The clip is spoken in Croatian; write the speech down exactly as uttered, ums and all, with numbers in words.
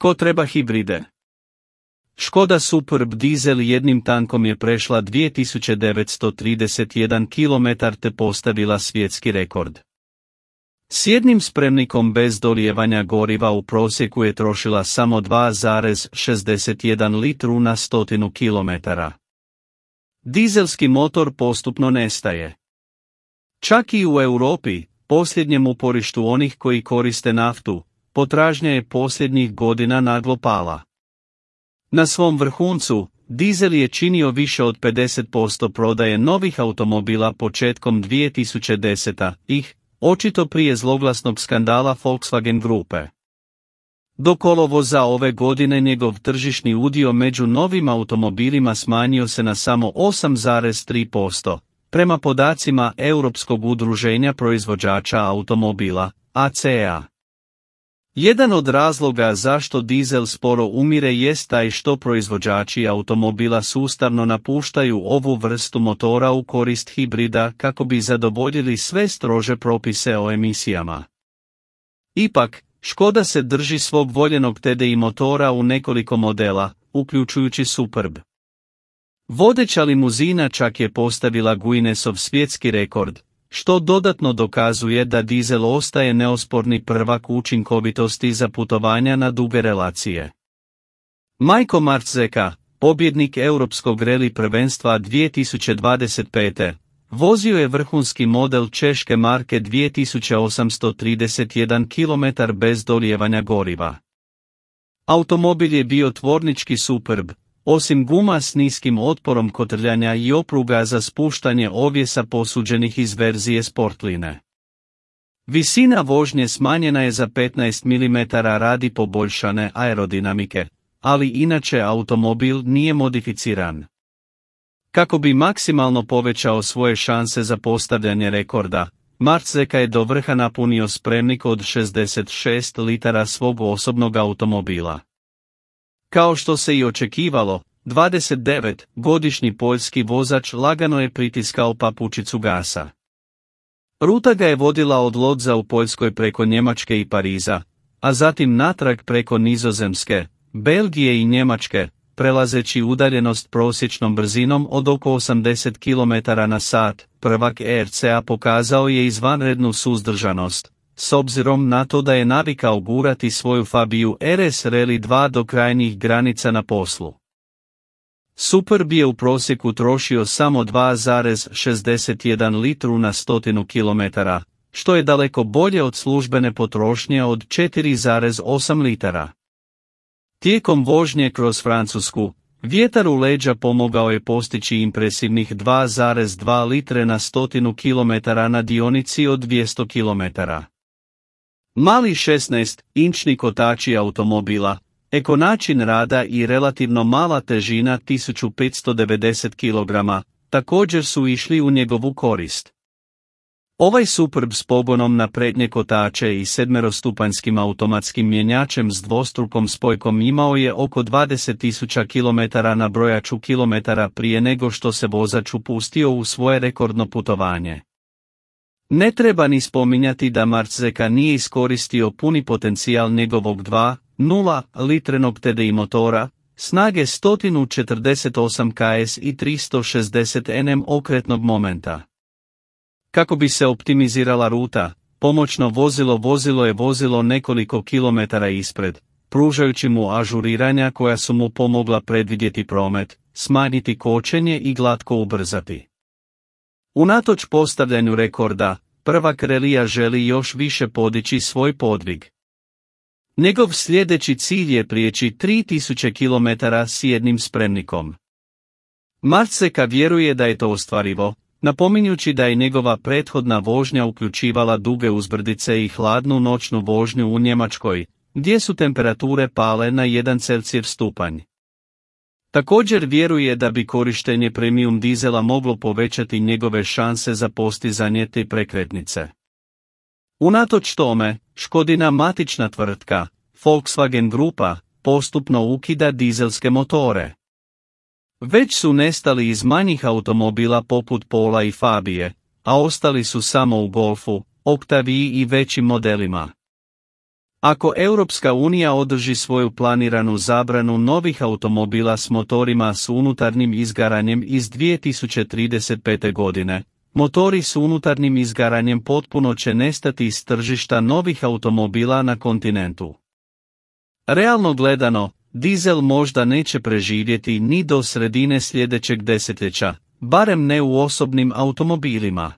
Tko treba hibride? Škoda Superb dizel jednim tankom je prešla dvije tisuće devetsto trideset jedan kilometar te postavila svjetski rekord. S jednim spremnikom bez dolijevanja goriva u prosjeku je trošila samo dva zarez šezdeset jedan litru na stotinu kilometara. Dizelski motor postupno nestaje. Čak i u Europi, posljednjem uporištu onih koji koriste naftu, potražnja je posljednjih godina naglo pala. Na svom vrhuncu, dizel je činio više od pedeset posto prodaje novih automobila početkom dvije tisuće desete. ih, očito prije zloglasnog skandala Volkswagen grupe. Do kolovoza ove godine njegov tržišni udio među novim automobilima smanjio se na samo osam zarez tri posto, prema podacima Europskog udruženja proizvođača automobila, A C A. Jedan od razloga zašto dizel sporo umire jest taj što proizvođači automobila sustavno napuštaju ovu vrstu motora u korist hibrida kako bi zadovoljili sve strože propise o emisijama. Ipak, Škoda se drži svog voljenog T D I motora u nekoliko modela, uključujući Superb. Vodeća limuzina čak je postavila Guinnessov svjetski rekord, što dodatno dokazuje da dizel ostaje neosporni prvak učinkovitosti za putovanja na duge relacije. Majko Marczeka, pobjednik Europskog reli prvenstva dvije tisuće dvadeset pete. vozio je vrhunski model češke marke dvije tisuće osamsto trideset jedan kilometar bez dolijevanja goriva. Automobil je bio tvornički Superb, osim guma s niskim otporom kotrljanja i opruga za spuštanje ovjesa posuđenih iz verzije Sportline. Visina vožnje smanjena je za petnaest milimetara radi poboljšane aerodinamike, ali inače automobil nije modificiran. Kako bi maksimalno povećao svoje šanse za postavljanje rekorda, Marczeka je do vrha napunio spremnik od šezdeset šest litara svog osobnog automobila. Kao što se i očekivalo, dvadesetdevetgodišnji poljski vozač lagano je pritiskao papučicu gasa. Ruta ga je vodila od Lodza u Poljskoj preko Njemačke i Pariza, a zatim natrag preko Nizozemske, Belgije i Njemačke, prelazeći udaljenost prosječnom brzinom od oko osamdeset kilometara na sat. Prvak E R C A pokazao je izvanrednu suzdržanost, s obzirom na to da je navikao gurati svoju Fabiju R S Rally dva do krajnjih granica na poslu. Superb je u prosjeku trošio samo dva zarez šezdeset jedan litru na stotinu kilometara, što je daleko bolje od službene potrošnje od četiri zarez osam litara. Tijekom vožnje kroz Francusku, vjetar u leđa pomogao je postići impresivnih dva zarez dva litre na stotinu kilometara na dionici od dvjesto kilometara. Mali šesnaest-inčni kotači automobila, eko način rada i relativno mala težina tisuću petsto devedeset kilograma, također su išli u njegovu korist. Ovaj Superb s pogonom na prednje kotače i sedmerostupanjskim automatskim mjenjačem s dvostrukom spojkom imao je oko dvadeset tisuća kilometara na brojaču kilometara prije nego što se vozač upustio u svoje rekordno putovanje. Ne treba ni spominjati da Marczeka nije iskoristio puni potencijal njegovog dva zarez nula litrenog T D I motora, snage sto četrdeset osam kilograma i tristo šezdeset newton okretnog momenta. Kako bi se optimizirala ruta, pomoćno vozilo vozilo je vozilo nekoliko kilometara ispred, pružajući mu ažuriranja koja su mu pomogla predvidjeti promet, smanjiti kočenje i glatko ubrzati. Unatoč postavljanju rekorda, prvak relija želi još više podići svoj podvig. Njegov sljedeći cilj je prijeći tri tisuće kilometara s jednim spremnikom. Marczeka vjeruje da je to ostvarivo, napominjući da je njegova prethodna vožnja uključivala duge uzbrdice i hladnu noćnu vožnju u Njemačkoj, gdje su temperature pale na jedan Celsijev stupanj. Također vjeruje da bi korištenje premium dizela moglo povećati njegove šanse za postizanje te prekretnice. Unatoč tome, Škodina matična tvrtka, Volkswagen grupa, postupno ukida dizelske motore. Već su nestali iz manjih automobila poput Pola i Fabije, a ostali su samo u Golfu, Octavii i većim modelima. Ako Europska unija održi svoju planiranu zabranu novih automobila s motorima s unutarnjim izgaranjem iz dvije tisuće trideset pete. godine, motori s unutarnjim izgaranjem potpuno će nestati iz tržišta novih automobila na kontinentu. Realno gledano, dizel možda neće preživjeti ni do sredine sljedećeg desetljeća, barem ne u osobnim automobilima.